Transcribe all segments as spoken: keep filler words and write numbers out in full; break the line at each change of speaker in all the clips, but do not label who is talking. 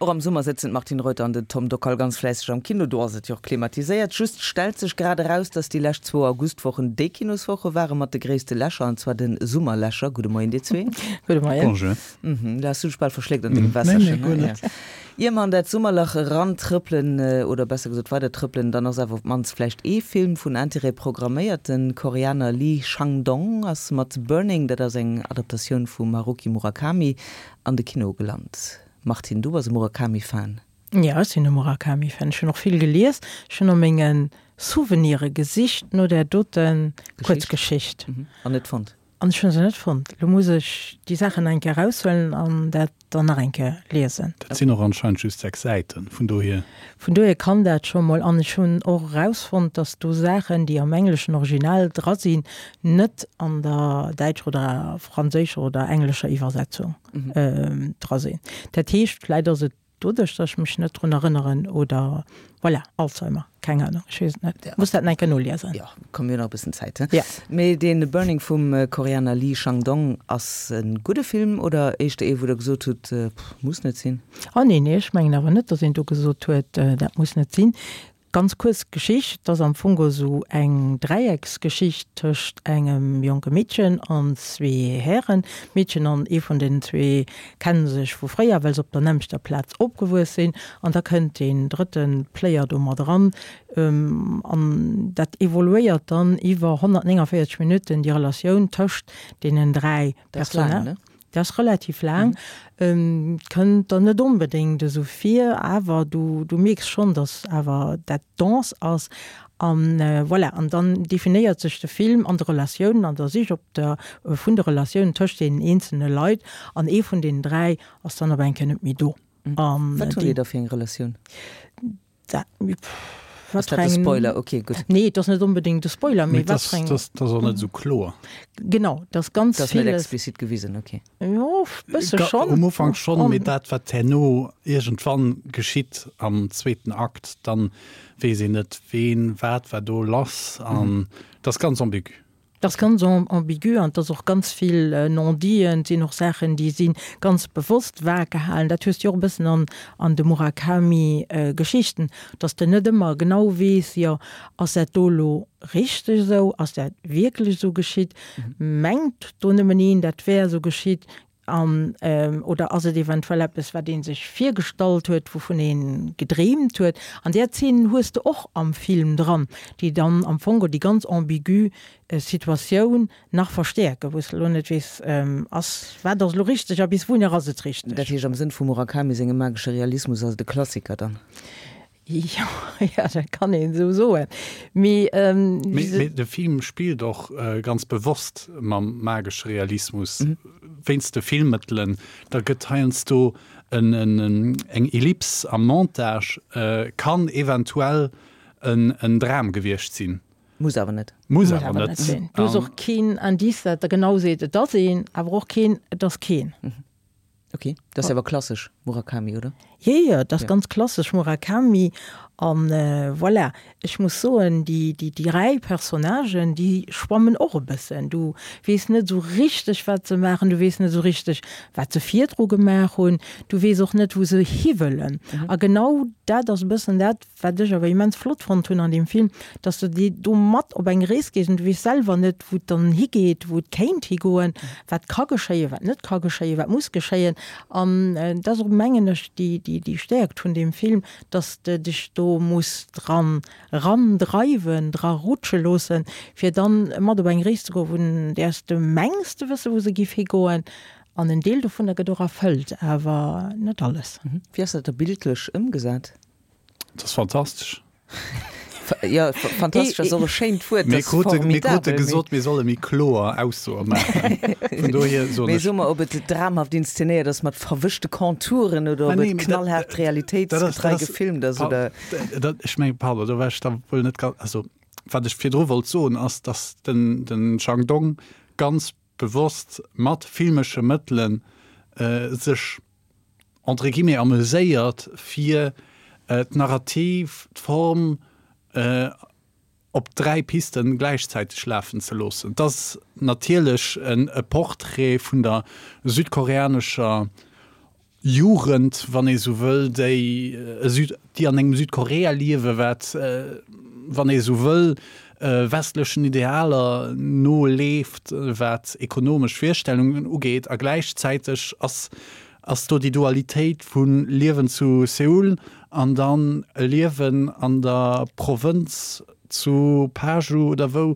Och am Summer sëtzen d'Martine Reuter an den Tom Dockal ganz fläisseg am Kino. Do ass et jo och klimatiséiert. Just stellt sech grad eraus, dass déi lescht zwou Augustwochen déi Kinoswoche ware mat de gréisste Lächer, an zwar de Summerlächer. Gudde Moien dir zwee.
Gudde Moien.
Bonjour.
Mhm, du has du dech bal verschléckt an dengem Wässerchen,
Nee, nee, guer net.
Ier mer an dat Summerlach erantrëppelen, oder besser gesot weider trëppelen, dann ass awer op d'mannst vläicht ee Film vun Interêt programméiert. De Koreaner Lee Chang-dong ass mat Burning, dat ass eng Adaptatioun vum Haruki Murakami, an de Kino gelant. Martine, du bass e Murakami-Fan?
Jo, ech sinn e Murakami-Fan. Ech hunn och vill gelies. Ech hunn a menge Souvenire gesicht no där dote Kuerzgeschicht.
An net fonnt?
An ech hunn se net fonnt. Lo muss ech déi Saachen nach eng Kéier eraushuelen an dat dann nach eng Kéier liesen.
Dat sinn och anscheinend just sechs Säiten, vun dohier.
Vun dohier kann dat scho mol. An ech hunn och erausfonnt, dass do Saachen, déi am engleschen Original dra sinn, net an der däitscher oder franséischer oder englescher Iwwersetzung dra sinn. Dat heescht, vläit ass et doduerch, dass ech mech net drun erënneren oder voilà, Alzheimer, keng Ahnung, ech weess et net. Muss dat nach eng Kéier noliesen.
Jo, komm, mir hunn nach e bëssen Zäit, he?
Ja.
Mee dee Burning vum Koreaner Lee Chang-dong ass e gudde Film oder éischter ee, wou Der gesot hutt, pff, muss net sinn?
Oh nee, nee, ech mengen awer net, dass een do gesot huet, dat muss net sinn. Ganz kuerz Geschicht, et ass am Fong esou eng Dräiecksgeschicht tëscht engem jonke Meedchen an zwee Hären. D'Meedchen an ee vun den zwee kenne sech vu fréier, well se op der nämmlechter Plaz opgewuess sinn. An da kënnt deen drëtte Player do mat eran. An dat evoluéiert dann iwwer honnertnénganvéierzeg Minutten, déi Relatioun tëscht deenen dräi Personnagen. Dat ass relativ laang, kënnt der net onbedéngt esou vir, awer du du mierks schonn, datt awer dat dense ass. An voilà, an dann definéiert sech de Film an de Relatiounen, an der Sich op der vun de Relatiounen tëscht deenen eenzelne Leit. An ee vun deenen dräi ass dann op eng Kéier net méi do.
An Wat hunn déi da fir eng Relatioun?
Dat,
Ass dat de Spoiler? Ok, gutt.
Nee, et ass net onbedéngt de Spoiler, mee wat fir eng.
Dat ass och net esou kloer.
Genau, et ass ganz
villes. Dat ass net explizit gewisen, ok.
Jo, e bësse schonn.
Um Ufank schonn, mee dat, wat herno iergendwann geschitt am zweeten Akt, dann weess een net, ween, wat war do lass an et ass ganz ambigu.
Et ass ganz ambigu an et ass och ganz vill Non-diten, et sinn och Saachen, déi si ganz bewosst vag gehalen. Dat hues de jo och e bëssen an an de Murakami-Geschichten, datt s de net ëmmer genau weess, jo, ass dat do elo richteg esou, ass dat wierklech esou geschitt, mengt do nëmmen een, dat wär esou geschitt? An, oder ass et eventuell eppes, wat ee sech virgestallt huet, wouvun ee gedreemt huet? An där Zeen hues de och am Film dran, déi dann am Fong déi ganz ambigu Situatioun nach verstäerken, wou s de elo net weess, ass, wat ass elo richteg a bis wouhinner ass et richteg?
Dat heescht, am Sënn vum Murakami sengem magesche Realismus ass et e Klassiker dann?
Jo, jo, dat kann een esou soen. Mee,
Mee de Film spillt och ganz bewosst mam magesche Realismus, wéinst de Filmmëttelen. Da gëtt heiansdo eng Ellipse am Montage, kann eventuell en Dram gewiescht sinn.
Muss awer net.
Muss awer net
sinn. Du hues och keen Indice, dat der genau seet, et ass een, awer och keen, et ass keen.
Ok, dat ass awer klassesch Murakami, oder?
Jo, jo, dat ass ganz klassesch Murakami. An voilà, ech muss soen, déi, déi dräi Personnagen, déi schwammen och e bëssen. Du weess net esou richteg, wat se maachen, du weess net esou richteg, wat se virdru gemaach hunn, du weess och net, wou se hiwëllen. A genau dat ass e bëssen dat, Wat ech awer immens flott fonnt hunn an deem Film, dass de déi do mat op eng Rees gees an du weess selwer net, wou et dann higeet, wou et kéint higoen, wat ka geschéien, wat net ka geschéien, wat muss geschéien. An dat ass och, mengen ech, déi, déi, déi Stäerkt vun deem Film, dass de dech do muss dran erandreiwen, dra rutsche loossen, fir dann mat op eng Rees ze goen, vun där s de mengs ze wëssen, wou se giff higoen. An en Deel dovunner gëtt och erfëllt, awer net alles.
Wéi ass dat da bildlech ëmgesat?
Dat ass fantastesch.
Jo, fantastesch ass och e schéint Wuert.
Mir krute, mir krute gesot, mir solle méi kloer Aussoe maachen. Vun dohier soen
Mee
ech.
so mer, ob et dramhaft inszenéiert ass mat verwëschte Contouren oder ob et knallhaart realitéitsgetrei gefilmt ass oder.
Dat, ech mengen, pardon, do war ech da wuel net ganz, also wat ech virdru wollt soen ass, datt den, den Chang Dong ganz bewosst mat filmesche Mëttelen sech, entre guillemets, ameséiert, fir d'Narrativ, d'Form op dräi Pisten gläichzäiteg lafen ze loossen. Et ass natierlech e Portrait vun der südkoreanescher Jugend, wann ee sou wëll, déi Süd, déi an engem Südkorea liewe wat, wann ee sou wëll, westlechen Idealer noleeft, wat ekonomesch Virstellungen ugeet, a gläichzäiteg ass ass do déi Dualitéit vu Liewen zu Seoul an dann e Liewen an der Provënz zu Paju oder wou,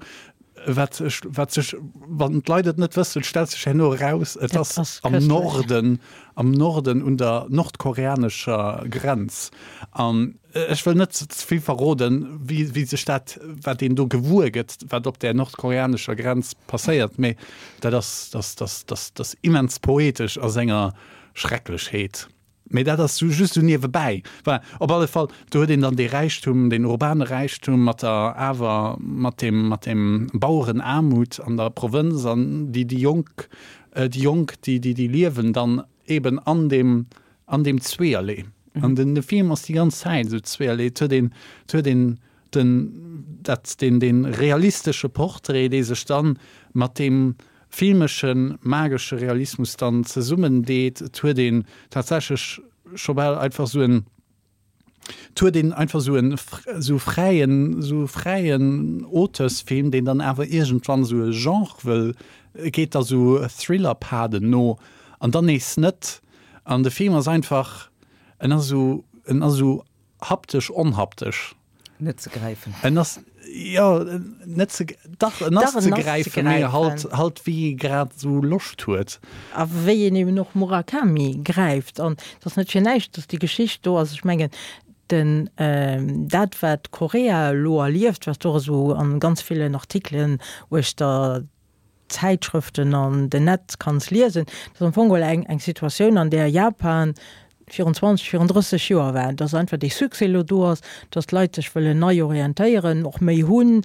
wat wat sech, wann d'Leit et net wëssen, stellt sech herno eraus, et ass am Norden, am Norden un der nordkoreanescher Grenz. An ech wëll net ze vill verroden, wéi wéi sech dat, wat een do gewuer gëtt, wat op där nordkoreanescher Grenz passéiert, mee dat ass, dat ass, dat ass, dat ass immens poetesch a senger Schrecklechheet. Mee dat ass just esou niewebäi. Voilà, op alle Fall, do huet een dann dee Räichtum, deen urbane Räichtum mat der awer mat deem, mat deem Bauerenaarmut an der Provënz an déi, déi Jonk, déi Jonk, déi, déi, déi liewen dann eben an deem, an deem Zweeërlee. An den, de Film ass déi ganz Zäit esou zweeërlee. Et huet een, et huet een den, dat, deen, dee realistesche Portrait, dee sech dann mat deem filmeschen, magesche Realismus dann zesummen deet. Et huet een tatsächlech scho bal einfach sou en, et huet een einfach sou en, sou fräien, sou fräien Auteursfilm, deen dann awer iergendwann sou e Genre wëll, geet da sou Thriller-Paden no an dann nees net. An de Film ass einfach, en ass sou, en ass sou haptesch onhaptesch.
Net ze gräifen.
En ass, jo, net ze, dach, en ass ze gräifen, mee halt, halt wéi ee grad esou Loscht huet.
A wéi een eben och Murakami gräift. An et ass net fir näischt, datt déi Geschicht do ass. Ech mengen, den, dat wat Korea elo erlieft, wat och esou a ganz villen Artikelen uechter Zäitschrëften an den Netz kanns liesen, dat ass am Fong geholl eng, eng Situatioun, an där Japan virun zwanzeg, virun drësseg Joer war, dass einfach dee Succès elo do ass, dass d'Leit sech wëllen nei orientéieren, och méi hunn,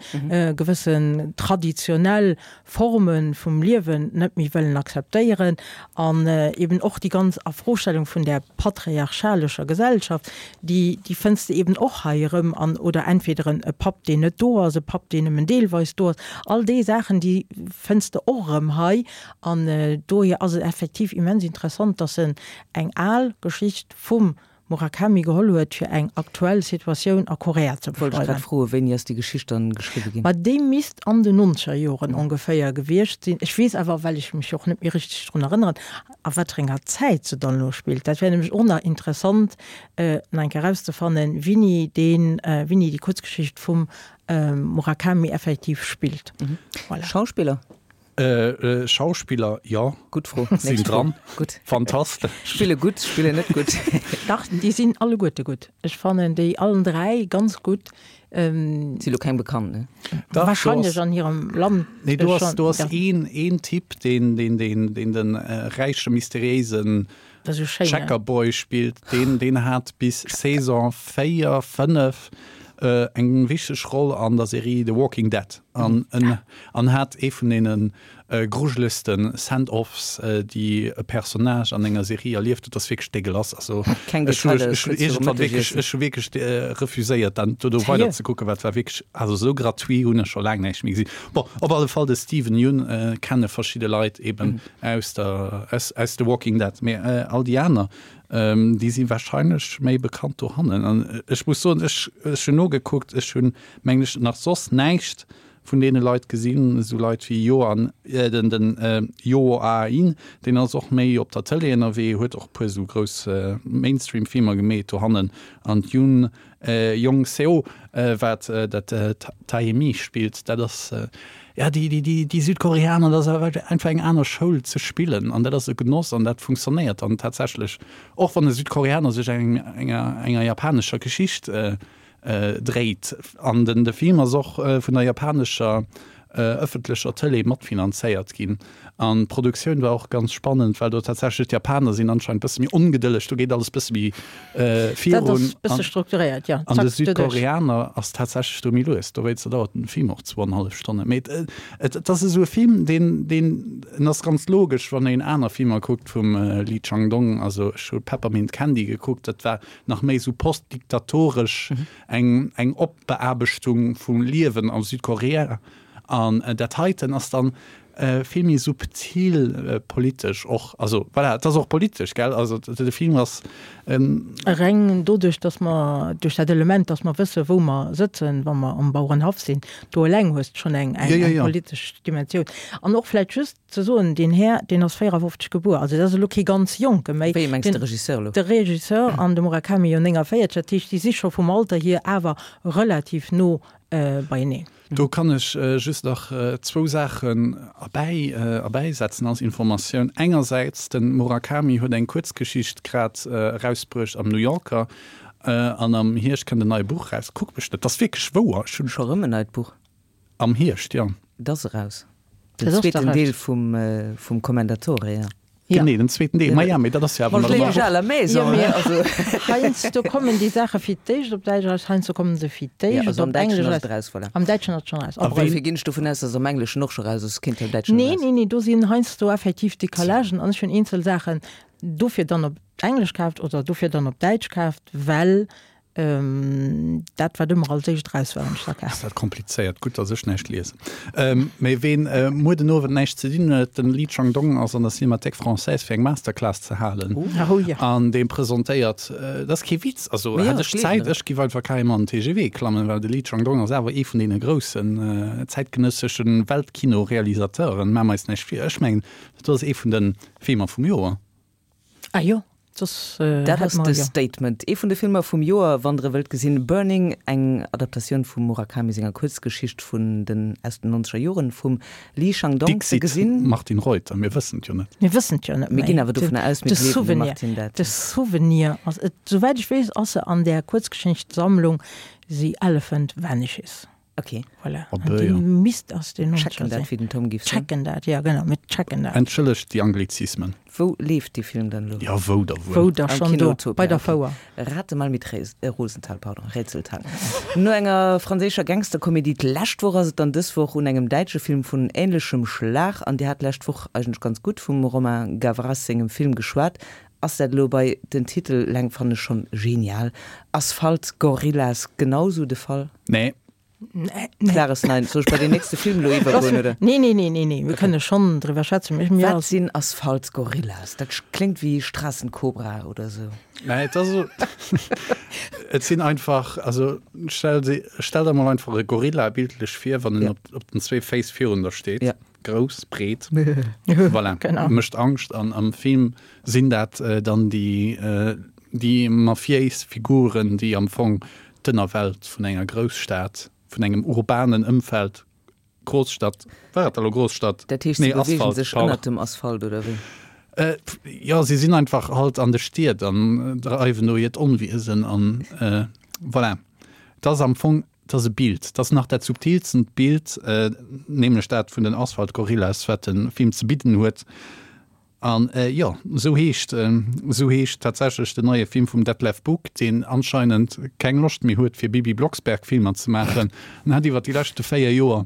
gewëssen traditionell Forme vum Liewen net méi wëllen akzeptéieren an eben och déi ganz Afrostellung vun där patriarchalescher Gesellschaft, déi, déi fënns de eben och hei erëm an, oder entweder e Papp, deen net do ass, e Papp, deen nëmmen deelweis do ass, all déi Saachen, déi fënns de och erëm hei. An dohier ass et effektiv immens interessant, dass en eng al Geschicht vum Murakami geholl huet, fir eng aktuell Situatioun a Korea ze
Wollt ech grad
beschreiwen.
froen, wéini ass déi Geschicht dann geschriwwe ginn?
Ma déi misst an den nonzeger Joren ongeféier gewiescht sinn. Ech weess awer, well ech mech och net méi richteg drun erënneren, a wat fir enger Zäit se dann elo spillt. Dat wär nämlech och nach interessant, nach eng Kéier erauszefannen, wéini deen, wéini déi Kuerzgeschicht vum Murakami effektiv spillt. Voilà.
Schauspiller?
Schauspiller, jo.
Gutt Fro.
Sinn dran.
Gutt.
Fantastesch.
Spille gutt, spillen net gutt.
Dach, déi sinn alleguerte gutt. Ech fannen déi allen dräi ganz gutt.
Si lo keng bekannt, ne?
Dach,
Wahrscheinlech an hirem Land
Nee, do ass,
schonn,
do ass
ja.
een, een Typ, deen, deen, deen, deen de räiche, mysteriéisen
Dat ass esou schéin, ne?
Checkerboy spillt. Deen, deen hat bis Saison véier, fënnef eng wichteg Roll an der Serie The Walking Dead an an hat ee vun deene grujelegste Send-Offs, déi e Personnage an enger Serie erlieft huet. Dat ass wierklech dégueulasse. Also
Keng
ech hu
Detailer,
ech hu
kuerz virum
iergendwann wierklech
Mëttegiessen.
ech hu wierklech refuséiert, dann dono
Sérieux?
weider ze kucken, well et war wierklech, also esou gratuit hunn ech scho laang näischt méi gesinn. Bon, op alle Fall de Steven Yeun kenne verschidde Leit eben aus der aus aus The Walking Dead, mee all déi aner Déi si wahrscheinlech méi bekannt dohannen. An ech muss soen, ech ech hunn nogekuckt, ech hunn, mengen ech, nach soss näischt vun deene Leit gesinn. Esou Leit wéi Joan, den den Jo Ah-in, deen ass och méi op der Tëlee ënnerwee, huet och e puer esou grouss Mainstream-Filmer gemeet dohannen. An d'Yoon Young Seo, wat dat Tae-mi spillt, dat ass, jo, déi, déi, déi Südkoreaner, dat ass awer einfach eng aner Schoul ze spillen an dat ass e Genoss an dat funktionéiert dann tatsächlech, och wann e Südkoreaner sech enger, enger japanescher Geschicht dréit. An den, de Film ass och vun der japanescher ëffentlecher Tëlee matfinanzéiert ginn. An d'Produktioun war och ganz spannend, well do tatsächlech d'Japaner sinn anscheinend bësse méi ongedëlleg, do geet alles bësse méi
Dat
virun.
ass bësse strukturéiert, jo.
An de
Zack, doduerch.
Südkoreaner ass tatsächlech do méi lues, dowéinster dauert den Film och zwou an hallef Stonne. Mee et, et ass esou e Film, deen, deen, en ass ganz logesch, wann een aner Filmer kuckt vum Lee Chang-dong. Also ech hu Peppermint Candy gekuckt, dat war nach méi esou postdiktatoresch, eng, eng Opbeaarbechtung vum Liewen a Südkorea. An dat heiten ass dann Vill méi subtil politesch och, also voilà, et ass och politesch, gell, also de Film ass.
Reng doduerch, datt mer, duerch dat Element, datt mer wësse wou mer sëtzen, wa mer am Bauerenhaff sinn, do eleng hues de schonn eng politesch Dimensioun. An och vläicht just ze soen, deen Här, deen ass véierafofzeg gebuer, also dat ass elo kee ganz Jonke méi.
Wéi mengs de Regisseur elo?
De Regisseur an de Murakami jo néngavéierzeg, dat heescht, déi si scho vum Alter hier awer relativ no beieneen.
Do kann ech just nach zwou Saachen erbäi erbäisetzen als Informatioun. Engersäits, de Murakami huet eng Kuerzgeschicht grad erausbruecht am New Yorker an am Hierscht kënnt en neie Buch eraus. Kuck mech net, dat ass wierklech wouer, ech hunn.
Scho rëm en neit Buch?
Am Hierscht, jo.
Et ass eraus. Den zweeten Deel vum vum Commendatore, jo.
Genee, den zweeten Deel. Maja, mee dat ass jo awer nach ëmmer.
À la maison,
jo, also. Heiansdo kommen déi Saache fir d'éischt op Däitsch eraus, heiansdo kommen se fir d'éischt
op Englesch eraus.
Voilà. Am Däitschen ass et schonn eraus.
A wéi ginn ech dovun aus, dass am Engleschen och scho raus ass? Kéint jo am Däitschen
eraus. Nee, nee, nee, do sinn heiansdo effektiv Decalagen an ech hunn eenzel Saachen dofir dann op Englesch kaaft oder dofir dann op Däitsch kaaft, well Dat wat ëmmer als éischt raus war, hunn ech da kaf.
Ass dat komplizéiert. Gutt, datt ech näischt liesen. Mee ween muer den Owend näischt ze dinn huet, den Lee Chang-dong ass an der Cinémathèque Française fir eng Masterclass ze halen.
Oh jo.
An dee presentéiert, dat ass kee Witz, also hätt ech Zäit, ech giff einfach carrément an den T G V klammen, well de Lee Chang-dong ass awer ee vun deene groussen zäitgenëssesche Weltkino-Realisateuren. Maache mer eis näischt vir. Ech mengen, dat ass ee vun de Filmer vum Joer.
Ah jo. Soss
Dat
hätt
ass
mer
de
jo.
Statement. Ee vun de Filmer vum Joer, wann der e wëllt gesinn, Burning, eng Adaptatioun vum Murakami senger Kuerzgeschicht vun den aus den nonzeger Joren vum Li Shangdong ze
Dixit
gesinn.
Martin Reuter, mir wëssen et jo net.
Mir wëssen et jo net
Mir
méi.
ginn awer dovunner aus, mir
De
gleewen dem
Souvenir,
Martin dat.
de Souvenir ass et, souwäit ech weess, ass se an där Kuerzgeschichtssammlung The Elephant Vanishes.
Ok.
Voilà.
Oh
An
bö,
déi
jo.
misst aus den
Checken
nonzeger
dat,
sinn.
wéi den Tom giff soen.
Checken dat, ja genau, mir checken dat.
Entschëllegt déi Anglizismen.
Wou leeft dee Film dann elo?
Ja, wou da wuel?
Wou da
Am
schonn
Kino
do,
Utopia,
bei der
ok.
Fouer.
Rate mal mit Rés, äh, Rosenthal, pardon, Rätseltal. No enger franséischer Gangsterkomedie d'lescht Woch ass et dann dës Woch un engem däitsche Film vun änlechem Schlag. An Dir hat d'lescht Woch eigentlech ganz gutt vum Romain Gavras sengem Film geschwat. Ass dat elo bei, den Titel eleng fannen ech schonn genial, Asphalt Gorillas genau sou de Fall?
Nee.
Nee, nee.
Klares Nein. Soll ech bei den nächste Film elo iwwergoen, oder?
Nee, nee, nee, nee, nee. Mir kënne schonn driwwer schwätzen. Mir, mir
Wat
ass.
sinn Asphalt-Gorillas? Dat kléngt wéi Straßenkobra oder sou.
Nee, et ass esou, et sinn einfach, also stell se, stell der mol einfach e Gorilla bildlech vir, wann en
Ja.
op, op den zwee Féiss virun der steet.
Ja.
Grouss, breet, voilà,
Genau.
mécht Angscht. An am Film sinn dat dann déi, déi mafiéis Figuren, déi am Fong d'Ënnerwelt vun enger Grousstad, vun engem urbanen Ëmfeld, Großstadt, war et elo Großstadt?
Dat heescht, si
Nee,
beweegen
Asphalt,
sech
pardon.
ënnert dem Asphalt, oder wéi?
Äh, jo, si sinn einfach halt an de Stied an dreiwen do hiert Onwiesen an äh, voilà. Et ass am Fong, et ass e Bild, et ass nach dat subtilstent Bild, äh, nämlech dat vun den Asphalt-Gorillas, wat de Film ze bidden huet. An jo, esou heescht, esou heescht tatsächlech den neie Film vum Detlev Buck, deen anscheinend keng Loscht méi huet fir Bibi Blocksberg Filmer ze maachen. En hat iwwer déi leschte véier Joer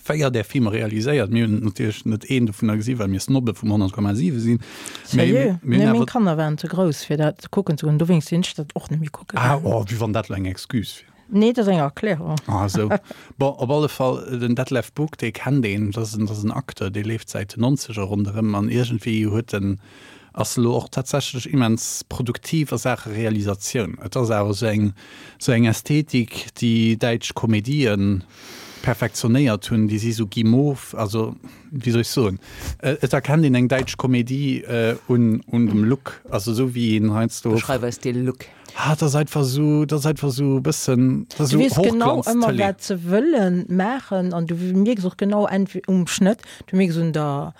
véier där Filmer realiséiert. Mir hunn natierlech net een dovunner gesi well mir Snobbe vum honnert Komma siwe sinn. Mee
Sérieux?
mir hunn
Nee, meng
awer.
Kanner waren ze grouss fir dat kucken ze goen, dowéinst sinn ech dat och net méi kucke
Ah,
gaangen.
oh, wéi wann dat elo eng Excuse wier.
Nee, dat ass eng Erklärung.
Ah, esou. Bon, op alle Fall, den Detlev Buck, dee kennt een, dat ass en, dat ass en Acteur, dee leeft säit den Nonzeger ronderëm an iergendwéi huet en, ass elo och tatsächlech immens produktiv a Saache Realisatioun. Et ass awer esou eng, esou eng Ästhetik, déi däitsch Komedien perfektionéiert hunn, déi si sou guimauve, also, wéi soll ech soen, et erkennt een eng däitsch Komedie un, un dem Look, also esou wéi een heiansdo.
Beschreif eis dee Look.
Ah, dat ass einfach esou, dat ass einfach esou e bëssen, dat ass
Du
esou
weess genau ëmmer,
Hochglanz-Tëlee.
wat se wëlle maachen an du mierks och genau entweder um Schnëtt, du mierks un der,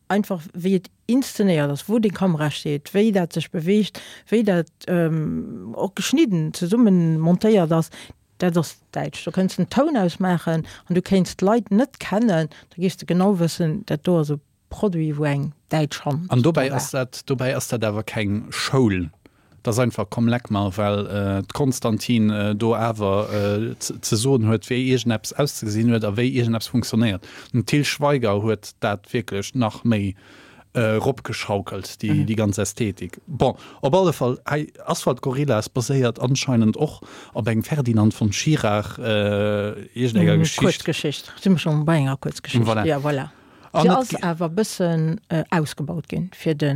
einfach wéi et inszenéiert ass, wou déi Kamera steet, wéi dat sech beweegt, wéi dat och geschnidden zesummen montéiert ass, dat ass däitsch. Do kënns den Toun ausmaachen an du kéints d'Leit net kennen, da géifs de genau wëssen, dat do ass e Produit, wou eng däitsch Hand
An
dra
dobäi
war.
ass dat, dobäi ass dat awer keng Schoul. Dat ass einfach komm leck mer, well d'Constantine do awer ze soen huet, wéi iergendeppes auszegesinn huet a wéi iergendeppes funktionéiert. Den Til Schweiger huet dat wierklech nach méi eropgeschaukelt, déi ganz Ästhetik. Bon, op alle Fall, hei Asphalt Gorillas baséiert anscheinend och op engem Ferdinand von Schirach iergendenger Geschicht.
Kuerzgeschicht, si mer schonn bei enger Kuerzgeschicht,
Voilà.
jo, voilà. Se ass awer e bëssen ausgebaut ginn fir de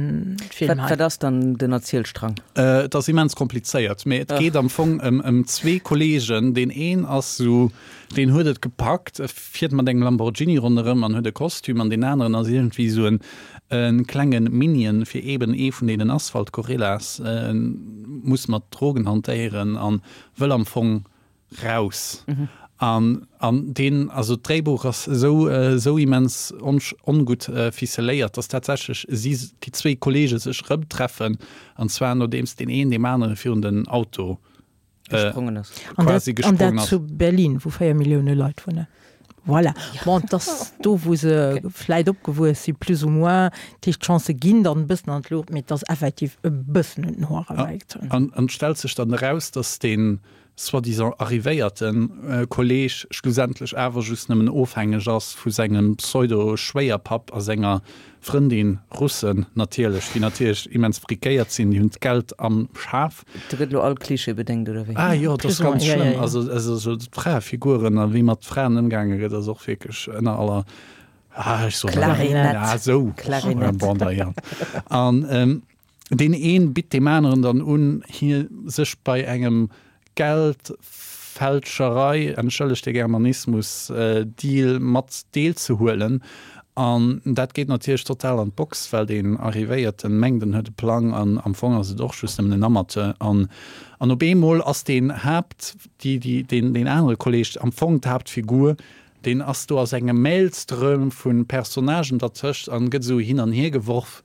Film hei.
Wat ass dann den Erzielstrang?
Et ass immens komplizéiert, mee et geet am Fong ëm ëm zwee Kolleegen. Deen een ass esou, deen huet et gepackt, e fiert mat engem Lamborghini ronderëm an huet e Kostüm, an deen aneren ass iergendwéi esou en e klenge Minion fir eeben ee vun deenen Asphalt-Gorillas, muss mat Drogen hantéieren an wëll am Fong raus. An, an deen, also d'Dréibuch ass esou, esou immens ongutt ficeléiert, dass tatsächlech si, déi zwéi Kollege sech erëmtreffen, an zwar nodeems deen een deem anere virun den Auto
gesprongen ass.
Quasi
gesprongen ass. An dat
ass.
zu Berlin, wou véier Millioune Leit wunnen. Voilà. Bon, et ass do, wou se vläit opgewuess si, plus ou moins. Dat heescht, d'Chancë ginn dann e bëssen an d'Luucht, mee et ass effektiv e bëssen un den Hoer erbäigezunn.
An et stellt sech dann eraus, dass dee soi-disant arrivéierte Kolleeg schlussendlech awer just nëmmen ofhängeg ass vu sengem Pseudo-Schwéierpapp a senger Frëndin, Russen natierlech, déi natierlech immens friquéiert sinn, déi hunn d'Geld am Schaf.
Do gëtt elo all Klischee bedéngt, oder wéi?
Ah jo, dat ass ganz schlëmm. Also, also d'Fraefiguren a wéi mat Fraen ëmgaange gëtt, ass och wierklech ënner aller, ah, ech soen
Klarinett.
Ah, esou.
Klarinett.
Bon, da jo. An deen een bitt deem aneren dann un, hie sech bei engem Geldfälscherei, entschëllegt de Germanismus, Deal mat deelzehuelen. An dat geet natierlech total an d'Box, well deen Arrivéierten mengt, en huet e Plang, an am Fong ass et och just nëmmen en Amateur. An an op eemol ass deen Haapt, déi, déi, deen, deen anere Kolleg am Fong d'Haaptfigur, deen ass do a sengem Maelström vu Personnagen dertëscht an gëtt esou hin an hier geworf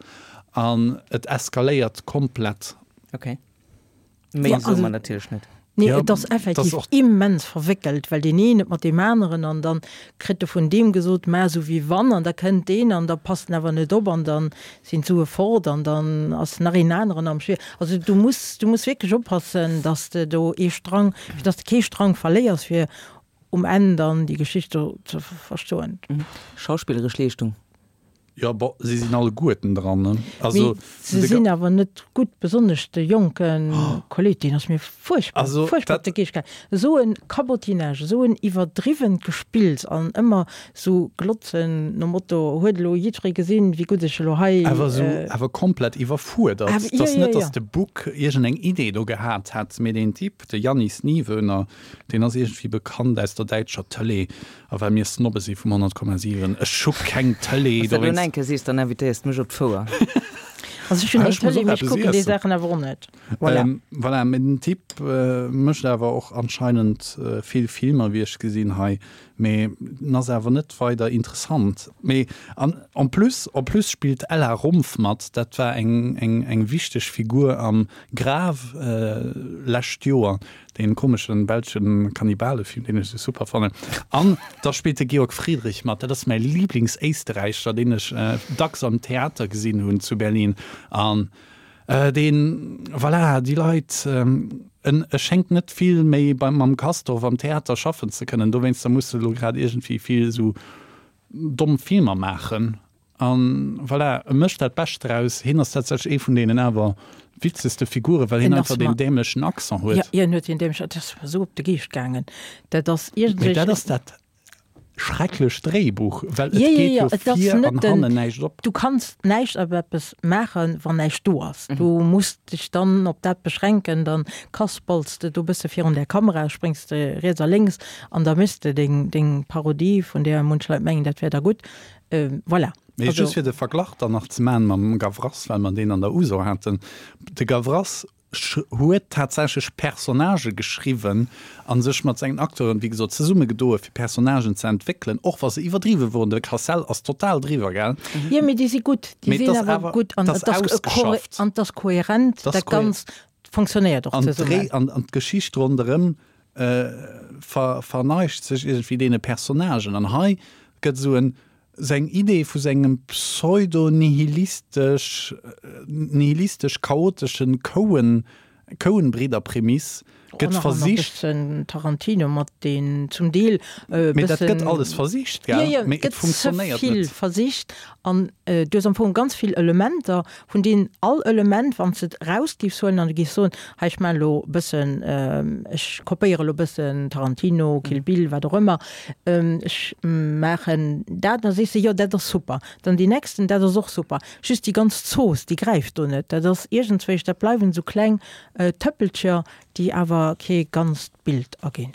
an et eskaléiert komplett.
Okay. Méi
Ja,
soe
also
mer natierlech net.
Nee,
Ja,
et ass
et ass
effektiv
och.
immens verwéckelt, well deen een et mat deem aneren an dann kritt e vun deem gesot, mä esou wéi wann an da kënnt deen an da passt en awer net op an dann sinn d'Sue fort an dann ass nach een aneren am Spill. Also du muss, du muss wierklech oppassen, dass de do ee Strang, fir dass de kee Strang verléiers, fir um Enn dann déi Geschicht do ze verstoen.
Schauspilleresch Leeschtung.
Jo, bon, si sinn alleguerten dran, ne? Also,
Mee se sinn awer net gutt, besonnesch de jonke Kolleg, deen ass mir fuerchtbar,
Also,
fuerchtbar op
dat.
de Geescht gaangen. Esou e Cabotinage, esou en iwwerdriwwent Gespills an ëmmer esou glotzen nom Motto, huet elo jiddweree gesinn, wéi gutt ech elo hei.
Awer esou, awer komplett iwwerfuerdert.
Awer,
Et
jo,
ass
jo,
net,
jo.
datt de Buk iergendeng Idee do gehat hätt, mee deen Typ, de Jannis Niewöhner, deen ass iergendwéi bekannt aus der däitscher Tëlee. A well mir Snobbe si vum honnert Komma siwen, ech hu keng Tëlee,
Wanns de elo
dowéinst.
enke sees, dann invitéiers de mech op d'Fouer.
Also ech hunn
Ah,
eng
ech muss
Tëlee,
och
mee ech
eppes
kucken déi
iessen.
Saachen awer och net. Voilà.
Ähm, voilà, mee den Typ mécht awer och anscheinend vill Filmer, wéi ech gesinn hei, mee en ass awer net weider interessant. Mee an en plus, en plus spillt d'Ella Rumpf mat, dat war eng, eng, eng wichteg Figur am Grave lescht Joer. Deen komeschen belschen Kannibalefilm, deen ech sou super fannen. An da spillt de Georg Friedrich mat, dat ass mäi Lieblingséisterräicher, deen ech dacks am Theater gesinn hunn zu Berlin. An deen, voilà, déi Leit, en e schéngt net vill méi beim mam Castorf am Theater schaffen ze kënnen, dowéinster muss e lo grad iergendwéi vill sou domm Filmer maachen. An voilà, e mécht dat Bescht draus. Hien ass tatsächlech ee vun deenen awer witzegste Figuren, well hien
En
einfach
ass
deen
mer,
dämlechen Accent
jo,
huet.
hien huet deen dämlechen, dat ass mer esou op de Geescht gaangen. Dat ass
Mee
iergendwéi.
dat ass dat schrecklech Dréibuch, well et
Jo, jo,
geet
jo,
jo
et ass
vir
net
an
den,
hannen näischt op.
du kanns näischt op eppes maachen, wann näischt do ass. Du muss dech dann op dat beschränken, dann kaspels de do e bësse virun der Kamera, spréngs de riets a lénks an da méchs de deng, deng Parodie, vun där munch Leit mengen, dat wär da gutt. Voilà.
Mee
Also.
just fir de Verglach dann nach ze maachen mam Gavras, well mer deen an der Uso haten, De Gavras huet tatsächlech Personnagë geschriwwen a sech mat sengen Acteuren, wéi gesot, zesummegedoe fir Personnagen ze entwéckelen, och wa se iwwerdriwwe woren. De Cassel ass total driwwer, gell?
Jo, mee déi si gutt. Déi
Mee et
sinn
ass
awer
awer,
gutt an
et ass
et ass
ausgeschafft.
an et ass kohärent,
Et ass
dat
kohe.
Ganzt fonctionnéiert och
An d'Dréi
zesummen.
an an d'Geschicht ronderëm ver verneigt sech iergendwéi deene Personnagen. An hei gëtt esou en seng Idee vu sengem pseudo-nihilistesch nihilistesch chaoteschen Coen Coen-Bridder-Prämiss Gëtt versicht.
Bëssen Tarantino mat deen zum Deel
e bëssen. Mee dat gëtt alles versicht, gell? Jo, jo, et gëtt ze
vill versicht an du hues am Fong ganz vill Elementer, vun deenen all Element, wann s de et eraus giffs huelen an du giffs soen, hei ech maachen elo e bëssen, ech kopéiere elo e bëssen Tarantino, Kill Bill, wat och ëmmer, ech maachen dat, da sees de, jo dat ass super. Dann deen nächsten, dat ass och super. Just déi ganz Zooss, déi gräift do net. Dat ass iergendzwéisch, dat bleiwen esou kleng Tëppelcher, déi awer kee ganzt Bild erginn.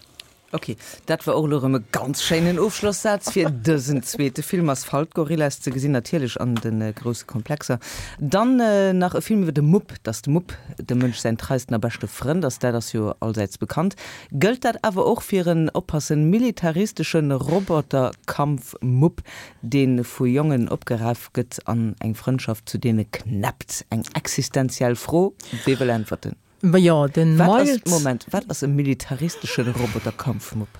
Ok, dat war och elo erëm e ganz schéinen Ofschlossaz fir dësen zweete Film. Asphalt Gorillas ze gesinn natierlech an de grousse Komplexer. Dann nach e Film iwwer de Mupp, dass de Mupp dem Mënsch säin treisten a beschte Frënd ass, dat ass jo allsäits bekannt. Gëllt dat awer och fir en, oppassen, militaristesche Roboterkampf-Mupp, dee vu Jongen opgeraf gëtt an eng Frëndschaft zu deene knäppt? Eng existenziell Fro, wee wëll äntwerten?
Majo, den
Wat ass,
Miles.
Moment, wat ass e militaristesche Roboterkampfmupp?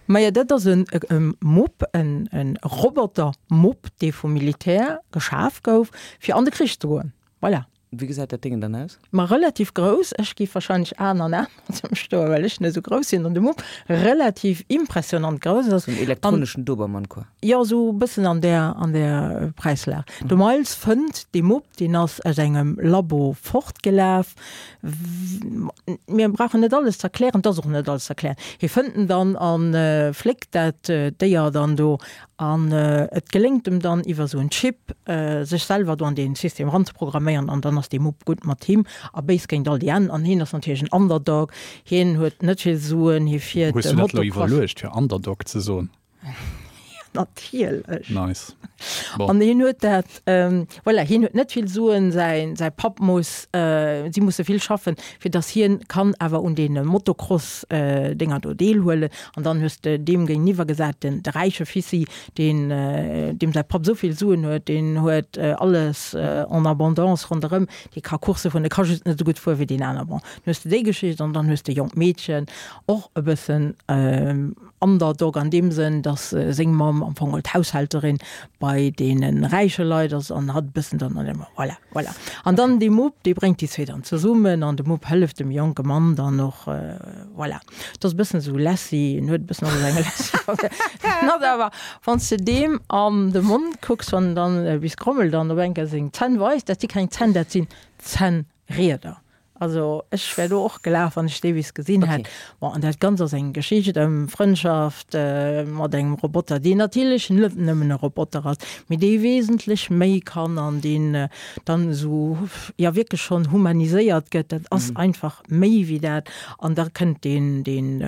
Majo, dat ass en Mupp, en Robotermupp, dee vum Militär geschaf gouf, fir an de Krich ze goen. Voilà.
Wéi gesäit dat Déngen dann aus?
Ma relativ grouss. Ech géif wahrscheinlech Aen an Aen mat em stoen, well ech net esou grouss sinn an de Mupp relativ impressionant grouss ass.
Sou en elektroneschen Dobermann, quoi.
Jo, esou e bëssen an där, an där Präislag. De Miles fënnt dee Mupp, deen ass aus engem Labo fortgelaf. Mir brauchen net alles ze erklären, et ass och net alles ze erklären. Hie fënnt en dann a fléckt dat Déier dann do an et geléngt em dann iwwer esou en Chip sech selwer do an dee System eranzeprogramméieren an dann ass dee Mupp gutt mat him a béis géint all déi aner. An hien ass natierlech en Underdog, hien huet net vill Suen, hie fiert
Hues du dat elo
Motocross.
iwwerluecht fir Underdog ze soen?
Natierlech.
Nice. Bon.
An hien huet dat, voilà, hien huet net vill Suen, säi, säi Papp muss, si musse vill schaffen, fir datt hien kann awer un deene Motocross-Dénger do deelhuelen. An dann hues de deem géintiwwer gesat den, de räiche Fissi, deen, deem säi Papp esou vill Suen huet, deen huet alles en abondance ronderëm, dee ka Coursse fueren, dee ka just net esou gutt fuere wéi deen aner. Bon, dann hues de déi Geschicht an dann hues de e jonkt Meedchen, och e bëssen, Underdog an deem Sënn, dass seng Mamm am Fong d'Haushälterin bei deene räiche Leit ass an hatt e bëssen dann an dem, voilà, voilà. An dann dee Mupp, dee bréngt déi zwee dann zesummen an de Mupp hëlleft dem jonke Mann dann och, voilà. Et ass e bëssen esou Lassie, en huet e bëssen alles eng Lassie. En hat awer, wann s de deem an de Mond kucks, wann en dann bis grommelt an op eng Kéier seng Zänn weist, dat si keng Zänn, dat sinn Zännrieder. Also ech wär do och gelaf, wann ech dee bis gesinn hätt. Bon, an dat Ganzt ass eng Geschicht ëm Frëndschaft mat engem Roboter, deen natierlech net nëmmen e Roboter ass, mee dee wesentlech méi kann an deen dann esou, jo, wierklech schonn humaniséiert gëtt. Dat ass einfach méi wéi dat. An da kënnt deen, deen,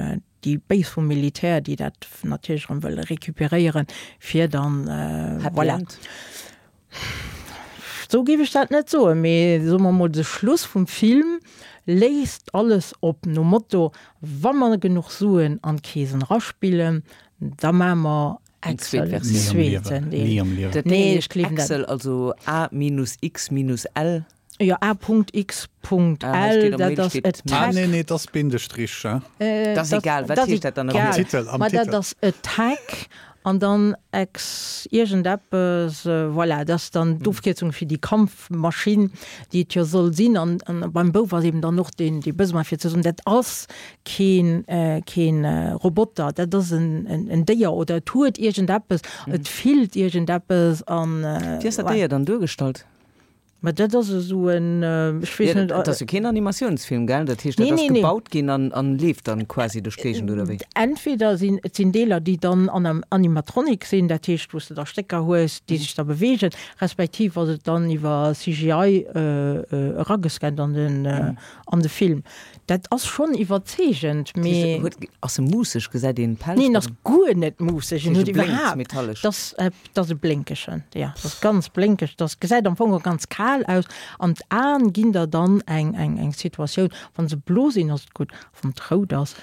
déi Béis vum Militär, déi dat natierlech erëm wëlle recuperéieren, fir dann,
Happy
voilà.
End?
Sou géif ech dat net soen, mee soe mer mol, de Schluss vum Film léisst alles op, nom Motto, wa mer genuch Suen an d'Keesen eraspillen, da maache mer
Eng zweet
Excel,
Versioun.
zweeten Deel.
Ni am Liewen.
Dat
Nee,
heescht
ech gleewen dat.
Excel, also A minus X minus L.
Jo, A Punkt X Punkt
Ah, hei
L,
steet am
dat
Mail
ass
steet
Attack.
Ah, nee, nee, dat ass Bindestrich, hein?
Dat ass egal, wat heescht dat dann am
Am
Egal.
Titel, am
Ma dat
Titel.
ass Attack an dann ex iergendeppes, voilà, dat ass dann d'Ofkierzung fir déi Kampfmaschinn, déi et jo soll sinn. An, an beim Bouf ass eben dann och deen, dee Besoin fir ze soen, dat ass keen, keen Roboter, dat ass en, en, en Déier oder et huet iergendeppes, et fillt iergendeppes an,
Wéi ass dat
voilà.
Déier dann duergestallt?
Ma dat ass esou en, ech weess net.
Dat ass jo keen Animatiounsfilm, gell? Dat heescht, dat ass gebaut ginn an an leeft dann quasi duerch d'Géigend, oder wéi?
Entweder sinn, et sinn Deeler, déi dann an Animatronic sinn, dat heescht, wou s de da Stécker hues, déi sech da beweegen, respektiv ass et dann iwwer C G I eragescannt an den, an de Film. Dat ass schonn iwwerzeegend, mee.
Huet, ass e muusseg? Gesäit een Pelz?
Neen, ass guer net muusseg. En huet
iwwerhaapt. Metallesch.
Dat ass e blénkegen, jo, dat ass ganz blénkeg. Dat gesäit am Fong och ganz kal aus an d'Aen ginn der dann eng eng eng Situatioun, wann se blo sinn ass et gutt, wann et rout ass,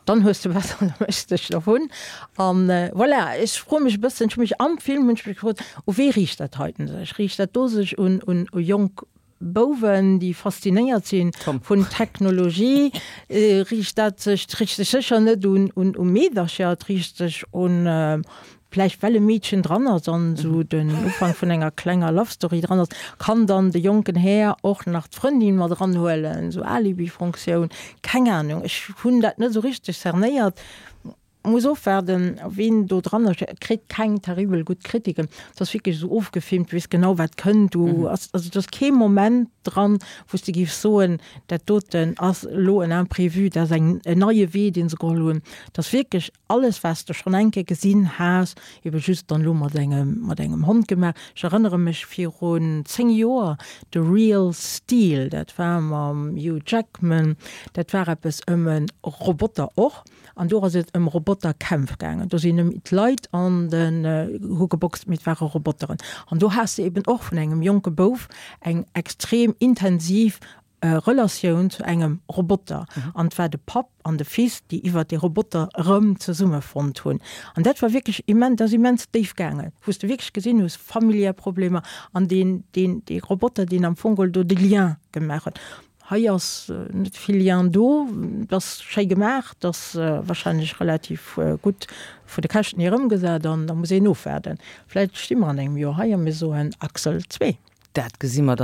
dann hues de besser, da méchs de dech dervun. An voilà, ech froe mech e bëssen, ech hu mech am Film hunn ech mech gefrot, u wee riicht dat heiten sech? Riicht dat do sech un un u jonk Bouwen, déi faszinéiert sinn vun Technologie? Riicht dat sech, et riicht sech sécher net un un u Meedercher, et riicht sech un Vläicht well e Meedchen dran ass an esou den Ufank vun enger klenger Love Story dran ass, kann dann de jonken Här och nach d'Frëndin mat eranhuelen, esou Alibi-Funktioun, keng Ahnung, ech hunn dat net esou richteg cernéiert, muss ofwaarden ween do dran ass, et kritt keng terribel gutt Kritiken, et ass wierklech esou ofgefilmt, du weess genau wat kënnt, du ass, also et ass kee Moment dran, wou s de géifs soen, dat doten ass elo en Imprévu, dat ass eng en neie Wee dee se geholl hunn, et ass wierklech alles wat s de schonn eng Kéier gesinn has, ebe just dann elo mat engem mat engem Hond gemaach. Ech erënnere mech virun zéng Joer, The Real Steel, dat war mam Hugh Jackman, dat war eppes ëm e Roboter och, an do ass et ëm Roboterkämpf gaangen. Do sinn net méi d'Leit an den hu geboxt, mee et ware Roboteren. An do has de eben och vun engem jonke Bouf eng extrem intensiv Relatioun zu engem Roboter. An et war de Papp an de Fils, déi iwwer dee Roboter erëm zesummefonnt hunn. An dat war wierklech immens, dat ass immens déif gaangen, wou s de wierklech gesinn hues, familiär Problemer an deen, deen, dee Roboter, deen am Fong geholl do de Lien gemaach huet. Hei ass net vill Lien do. Et ass schéi gemaach, et ass warscheinlech relativ gutt vu de Käschten hier ëmgesat an da muss een ofwaarden. Vläicht sti mer an engem Joer hei a mir soen Axel zwee.
Dat gesi mer dann.